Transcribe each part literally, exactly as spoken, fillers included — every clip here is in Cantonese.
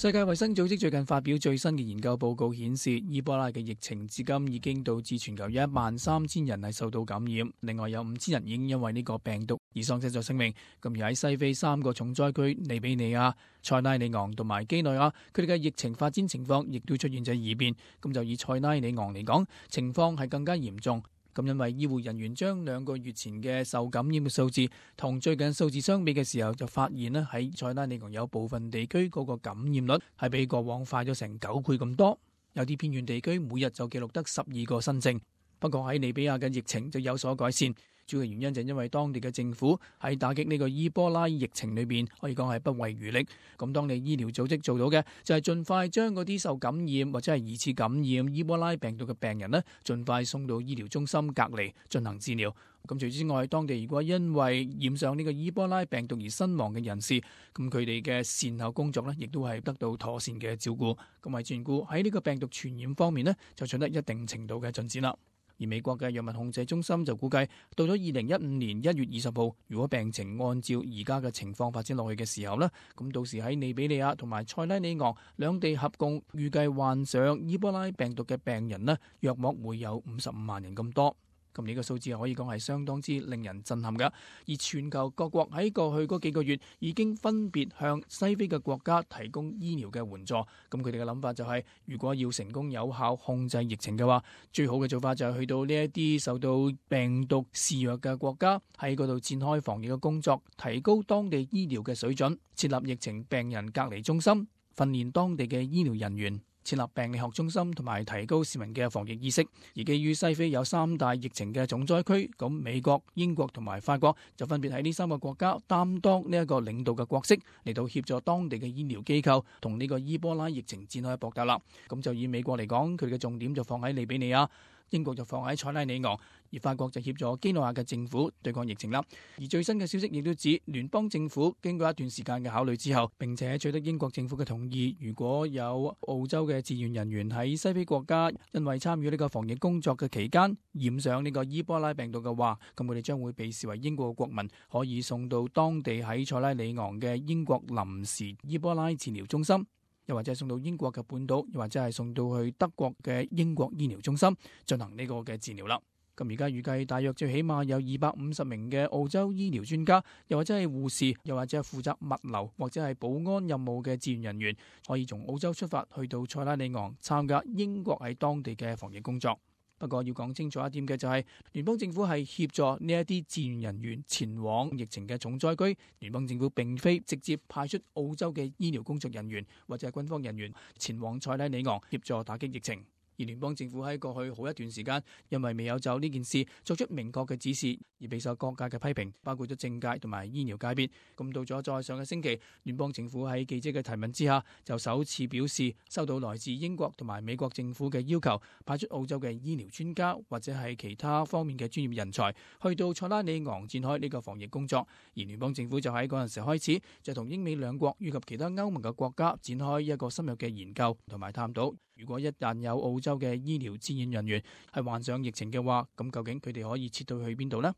世界衛生組織最近發表最新嘅研究報告顯示，伊波拉嘅疫情至今已經導致全球有一萬三千人係受到感染，另外有五千人已經因為呢個病毒而喪失咗生命。咁而喺西非三個重災區利比里亞、塞拉利昂同埋基內亞，佢哋嘅疫情發展情況亦都出現咗異變。咁就以塞拉利昂嚟講，情況係更加嚴重。咁因為醫護人員將兩個月前嘅受感染嘅數字同最近數字相比嘅時候，就發現咧喺塞拉利昂有部分地區嗰個感染率係比過往快咗成九倍咁多，有啲偏遠地區每日就記錄得十二個新症。不過喺利比亞嘅疫情就有所改善，主要嘅原因就係因為當地嘅政府喺打擊呢個伊波拉疫情裏邊可以講係不遺餘力。咁當地醫療組織做到嘅就係盡快將嗰啲受感染或者係疑似感染伊波拉病毒嘅病人呢，盡快送到醫療中心隔離進行治療。咁除此之外，當地如果因為染上呢個伊波拉病毒而身亡嘅人士，咁佢哋嘅善後工作呢，亦都係得到妥善嘅照顧。咁為眷顧喺呢個病毒傳染方面呢，就取得一定程度嘅進展啦。而美國嘅藥物控制中心就估計，到咗二零一五年一月二十號，如果病情按照而家嘅情況發展落去嘅時候呢，咁到時喺利比里亞同埋塞拉利昂兩地合共預計患上伊波拉病毒嘅病人呢，約莫會有五十五萬人咁多。咁呢個數字可以講係相當之令人震撼㗎。而全球各國喺過去嗰幾個月已經分別向西非嘅國家提供醫療嘅援助。咁佢哋嘅諗法就係，如果要成功有效控制疫情嘅話，最好嘅做法就係去到呢一啲受到病毒肆虐嘅國家，喺嗰度展開防疫嘅工作，提高當地醫療嘅水準，設立疫情病人隔離中心，訓練當地嘅醫療人員，設立病理學中心同埋提高市民嘅防疫意識。而基於西非有三大疫情嘅重災區，咁美國、英國同埋法國就分別喺呢三個國家擔當呢一個領導嘅角色，嚟到協助當地嘅醫療機構同呢個伊波拉疫情展開搏鬥啦。咁就以美國嚟講，佢哋嘅重點就放喺利比里亞，英國就放喺塞拉利昂，而法國就協助基內亞嘅政府對抗疫情啦。而最新嘅消息亦都指，聯邦政府經過一段時間嘅考慮之後，並且取得英國政府嘅同意，如果有澳洲嘅志願人員喺西非國家因為參與呢個防疫工作嘅期間染上呢個伊波拉病毒嘅話，咁佢哋將會被視為英國嘅國民，可以送到當地喺塞拉利昂嘅英國臨時伊波拉治療中心，又或者係送到英國嘅本島，又或者係送到去德國嘅英國醫療中心進行呢個嘅治療啦。咁而家預計大約最起碼有二百五十名嘅澳洲醫療專家，又或者係護士，又或者係負責物流或者係保安任務嘅志願人員，可以從澳洲出發去到塞拉利昂參加英國喺當地嘅防疫工作。不過要講清楚一點嘅就係，聯邦政府係協助呢一啲志願人員前往疫情嘅重災區，聯邦政府並非直接派出澳洲嘅醫療工作人員或者係軍方人員前往塞拉利昂協助打擊疫情。而聯邦政府喺過去好一段時間，因為未有就呢件事作出明確嘅指示，而備受各界嘅批評，包括咗政界同埋醫療界別。咁到咗再上個星期，聯邦政府喺記者嘅提問之下，就首次表示收到來自英國同埋美國政府嘅要求，派出澳洲嘅醫療專家或者係其他方面嘅專業人才，去到塞拉利昂展開呢個防疫工作。而聯邦政府就喺嗰陣時開始，就同英美兩國以及其他歐盟嘅國家展開一個深入嘅研究同埋探討。如果一旦有澳洲嘅醫療志願人員係患上疫情嘅話，咁究竟佢哋可以撤到去邊度呢？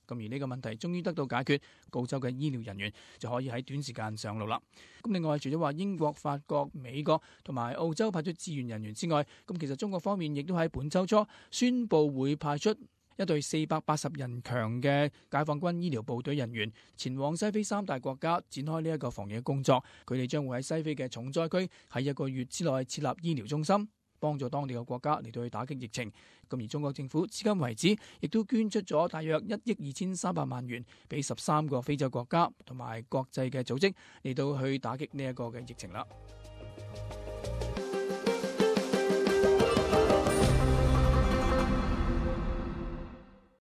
咁而呢個問題終於得到解決，澳洲嘅醫療人員就可以喺短時間上路啦。咁另外，除咗話英國、法國、美國同埋澳洲派出志願人員之外，咁其實中國方面亦都喺本週初宣布會派出一隊四百八十人強嘅解放軍醫療部隊人員前往西非三大國家展開呢一個防疫工作。佢哋將會喺西非嘅重災區喺一個月之內設立醫療中心，幫助當地嘅國家嚟到去打擊疫情。咁而中國政府至今為止亦都捐出咗大約一億二千三百萬元俾十三個非洲國家同埋國際嘅組織嚟到去打擊呢一個嘅疫情啦。